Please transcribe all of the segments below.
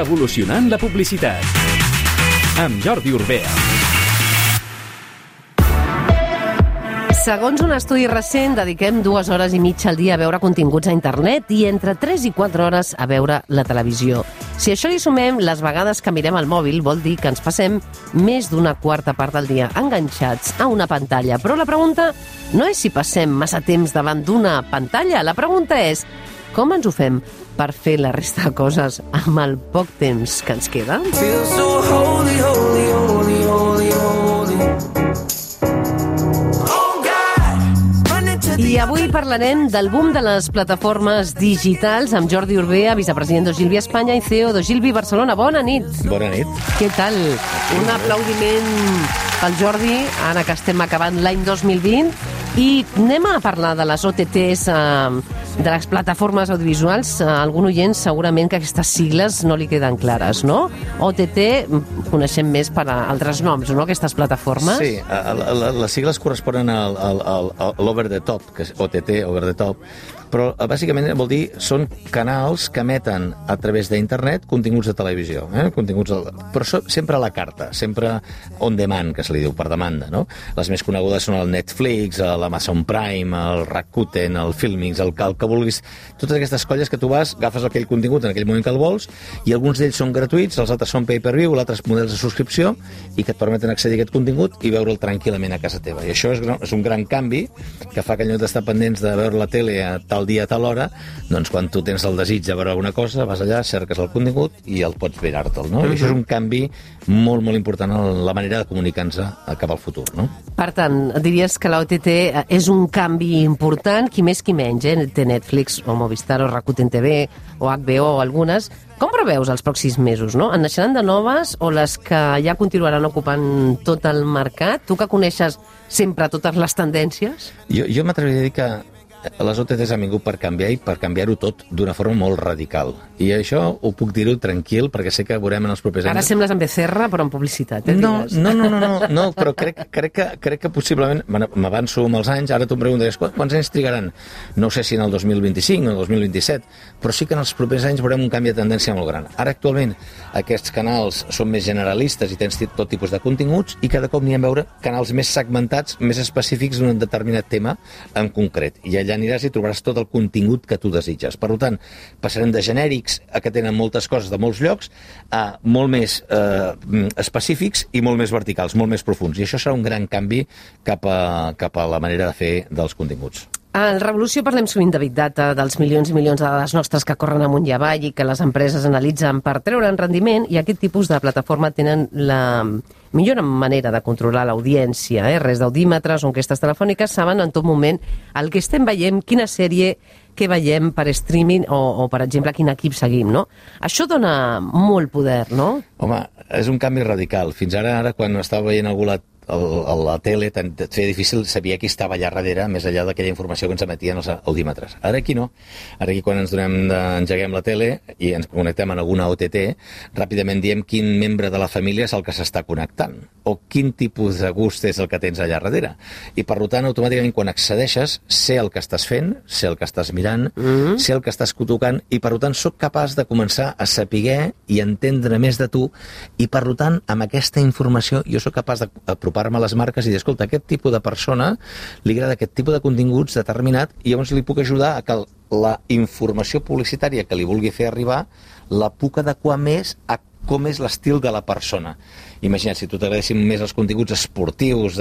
Revolucionant la publicitat. Amb Jordi Urbea. Segons un estudi recent, dediquem 2 hores i mitja al dia a veure continguts a internet i entre 3 i 4 hores a veure la televisió. Si a això li sumem les vegades que mirem el mòbil, vol dir que ens passem més d'una quarta part del dia enganxats a una pantalla. Però la pregunta no és si passem massa temps davant d'una pantalla, la pregunta és com ens ho fem per fer la resta de coses amb el poc temps que ens queda? I avui parlarem del boom de les plataformes digitals amb Jordi Urbea, vicepresident d'Ogilvy Espanya i CEO d'Ogilvy Barcelona. Bona nit. Bona nit. Què tal? Un aplaudiment pel Jordi, ara que estem acabant l'any 2020. I anem a parlar de les OTTs, de les plataformes audiovisuals. Algun oient segurament que aquestes sigles no li queden clares, no? OTT coneixem més per altres noms, no?, aquestes plataformes. Sí, les sigles corresponen a l'over the top, que és OTT, over the top, però bàsicament vol dir són canals que emeten a través d'internet continguts de televisió, però sempre a la carta, sempre on demand, que se li diu, per demanda, no? Les més conegudes són el Netflix, l'Amazon Prime, el Rakuten, el Filmix, el que vulguis, totes aquestes colles que tu vas, agafes aquell contingut en aquell moment que el vols, i alguns d'ells són gratuïts, els altres són pay-per-view, altres models de subscripció, i que et permeten accedir a aquest contingut i veure'l tranquil·lament a casa teva. I això és un gran canvi que fa que en lloc d'estar pendents de veure la tele a tal dia, a tal hora, doncs quan tu tens el desig de veure alguna cosa, vas allà, cerques el contingut i el pots mirar-te'l, no? I això és un canvi molt, molt important en la manera de comunicar-nos cap al futur, no? Per tant, diries que l'OTT és un canvi important, qui més qui menys, té Netflix o Movistar o Rakuten TV o HBO o algunes. Com preveus els pròxims mesos, no? En naixeran de noves o les que ja continuaran ocupant tot el mercat? Tu que coneixes sempre totes les tendències? Jo m'atreviria a dir que les OTTs han vingut per canviar i per canviar-ho tot d'una forma molt radical. I això ho puc dir-ho tranquil, perquè sé que veurem en els propers anys... Ara sembles en Becerra, però en publicitat, No, però crec que possiblement, m'avanço amb els anys, ara tu em preguntaries, quants anys trigaran? No sé si en el 2025 o el 2027, però sí que en els propers anys veurem un canvi de tendència molt gran. Ara, actualment, aquests canals són més generalistes i tens tot tipus de continguts i cada cop n'hi ha a veure canals més segmentats, més específics d'un determinat tema en concret. I allà aniràs i trobaràs tot el contingut que tu desitges. Per tant, passarem de genèrics a que tenen moltes coses de molts llocs a molt més específics i molt més verticals, molt més profuns. I això serà un gran canvi cap a la manera de fer dels continguts. A Revolució parlem sovint de Big Data, dels milions i milions de dades nostres que corren amunt i avall i que les empreses analitzen per treure'n rendiment, i aquest tipus de plataforma tenen la millor manera de controlar l'audiència, res d'audímetres o enquestes telefòniques, saben en tot moment el que estem veient, quina sèrie que veiem per streaming o per exemple, quin equip seguim, no? Això dona molt poder, no? Home, és un canvi radical. Fins ara quan estava veient algú a la tele, et feia difícil saber qui estava allà darrere, més enllà d'aquella informació que ens emetien els audímetres. Ara aquí no. Ara aquí quan engeguem la tele i ens connectem en alguna OTT, ràpidament diem quin membre de la família és el que s'està connectant, o quin tipus de gust és el que tens allà darrere. I per tant, automàticament, quan accedeixes, sé el que estàs fent, sé el que estàs mirant, sé el que estàs tocant, i per tant soc capaç de començar a saber i entendre més de tu, i per tant, amb aquesta informació jo sóc capaç d'apropar-me a les marques i dir, escolta, aquest tipus de persona li agrada aquest tipus de continguts determinat, i llavors li puc ajudar a que la informació publicitària que li vulgui fer arribar la puc adequar més a com és l'estil de la persona. Imagina't, si tu t'agradessin més els continguts esportius,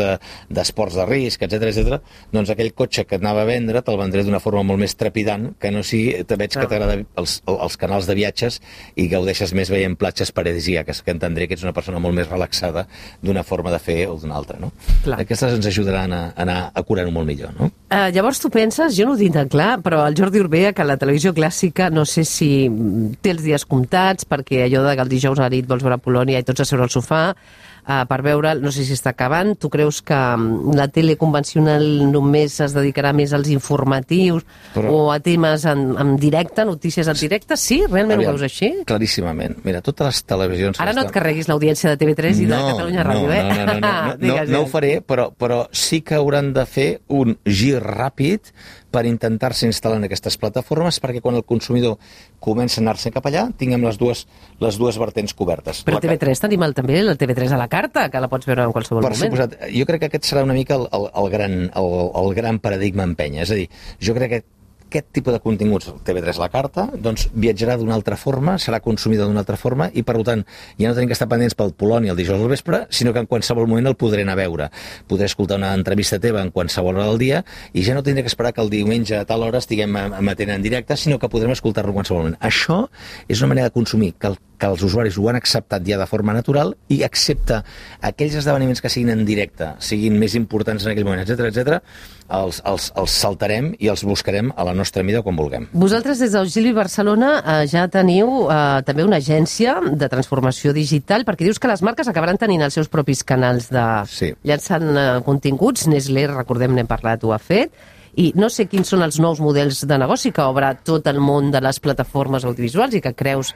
d'esports de risc, etc, doncs aquell cotxe que et anava a vendre te'l vendré d'una forma molt més trepidant, que no si te veig que t'agraden els canals de viatges i gaudeixes més veient platges paradisíaques, que entendré que ets una persona molt més relaxada d'una forma de fer o d'una altra, no? Aquestes ens ajudaran a anar a curar-ho molt millor, no? Llavors tu penses, jo no ho tinc tan clar, però el Jordi Urbea, que la televisió clàssica, no sé si té els dies comptats, perquè allò de que el dijous a la nit vols veure Polònia i tots a seure al sofà, per veure, no sé si està acabant. Tu creus que la tele convencional només es dedicarà més als informatius o a temes en directe, notícies en directe? Sí? Realment ho veus així? Claríssimament. Mira, totes les televisions... Ara no et carreguis l'audiència de TV3 i de Catalunya Ràdio, No ho faré, però sí que hauran de fer un gir ràpid per intentar-se instal·lar en aquestes plataformes perquè quan el consumidor comença a anar-se cap allà tinguem les dues vertents cobertes. Però a TV3 tenim també el TV3 a la carta, que la pots veure en qualsevol moment. Per suposat, jo crec que aquest serà una mica el gran paradigma a empènyer. És a dir, jo crec que aquest tipus de continguts, el TV3 a la carta, doncs viatjarà d'una altra forma, serà consumida d'una altra forma i, per tant, ja no tenim que estar pendents pel Polònia el dijous al vespre, sinó que en qualsevol moment el podré anar a veure. Podré escoltar una entrevista teva en qualsevol hora del dia i ja no tindré que esperar que el diumenge a tal hora estiguem emetent en directe, sinó que podrem escoltar-lo en qualsevol moment. Això és una manera de consumir que els usuaris ho han acceptat ja de forma natural i accepta aquells esdeveniments que siguin en directe, siguin més importants en aquell moment, etc, els saltarem i els buscarem a la nostra mida quan vulguem. Vosaltres des d'Auxili Barcelona ja teniu també una agència de transformació digital, perquè dius que les marques acabaran tenint els seus propis canals de llançant continguts. Nestlé, recordem, n'hem parlat, ho ha fet. I no sé quins són els nous models de negoci que obre tot el món de les plataformes audiovisuals i que creus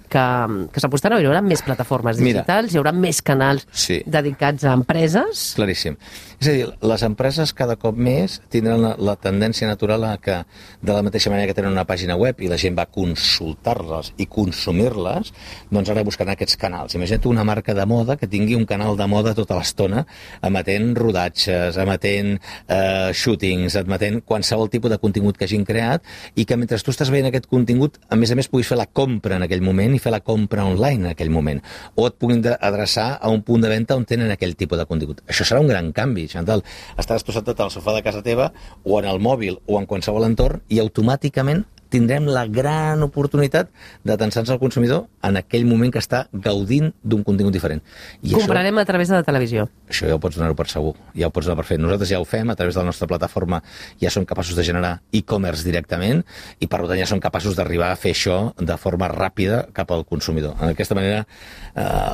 que s'apostaran, hi haurà més plataformes digitals, hi haurà més canals dedicats a empreses. Claríssim. És a dir, les empreses cada cop més tindran la tendència natural a que, de la mateixa manera que tenen una pàgina web i la gent va consultar-les i consumir-les, doncs ara buscaran aquests canals. Imagina't una marca de moda que tingui un canal de moda tota l'estona, emetent rodatges, emetent shootings, emetent qualsevol tipus de contingut que hagin creat i que mentre tu estàs veient aquest contingut, a més puguis fer la compra en aquell moment i fer la compra online en aquell moment. O et puguin adreçar a un punt de venda on tenen aquell tipus de contingut. Això serà un gran canvi, Chantal. Estaràs posat al sofà de casa teva o en el mòbil o en qualsevol entorn i automàticament tindrem la gran oportunitat d'atençar-nos al consumidor en aquell moment que està gaudint d'un contingut diferent. I comprarem a través de la televisió. Això ja ho pots donar-ho per segur, ja ho pots donar per fet. Nosaltres ja ho fem, a través de la nostra plataforma ja som capaços de generar e-commerce directament i per tant ja som capaços d'arribar a fer això de forma ràpida cap al consumidor. D'aquesta manera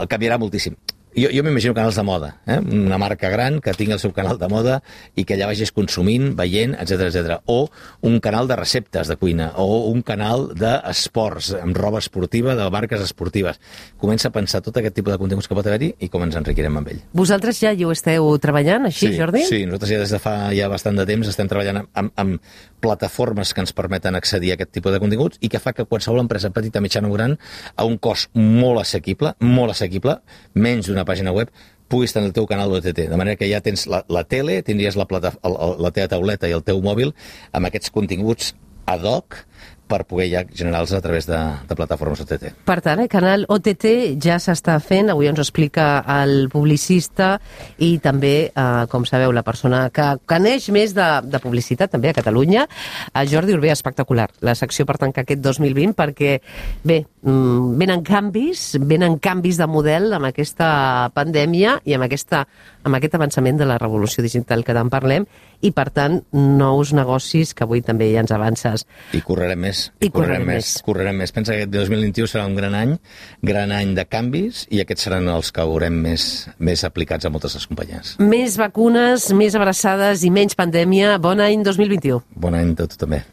canviarà moltíssim. Jo m'imagino canals de moda, una marca gran que tingui el seu canal de moda i que allà vagis consumint, veient, etc. O un canal de receptes de cuina, o un canal d'esports, amb roba esportiva, de marques esportives. Comença a pensar tot aquest tipus de continguts que pot haver-hi i com ens enriquirem amb ell. Vosaltres ja hi ho esteu treballant, així, Jordi? Sí, nosaltres ja des de fa bastant de temps estem treballant amb plataformes que ens permeten accedir a aquest tipus de continguts i que fa que qualsevol empresa petita, mitjana o gran, a un cost molt assequible, menys d'una pàgina web, puguis tenir el teu canal d'OTT. De manera que ja tens la tele, tindries la teva tauleta i el teu mòbil amb aquests continguts ad hoc per poder ja generar-los a través de plataformes OTT. Per tant, el canal OTT ja s'està fent, avui ens ho explica el publicista i també, com sabeu, la persona que coneix més de publicitat també a Catalunya, Jordi Urbé, espectacular. La secció per tancar aquest 2020 perquè, bé, venen canvis de model amb aquesta pandèmia i amb aquest avançament de la revolució digital que tant parlem i, per tant, nous negocis que avui també ja ens avances. I correrem més. Pensa que el 2021 serà un gran any de canvis i aquests seran els que haurem més aplicats a moltes de les companyies. Més vacunes, més abraçades i menys pandèmia. Bon any 2021. Bon any a tu també.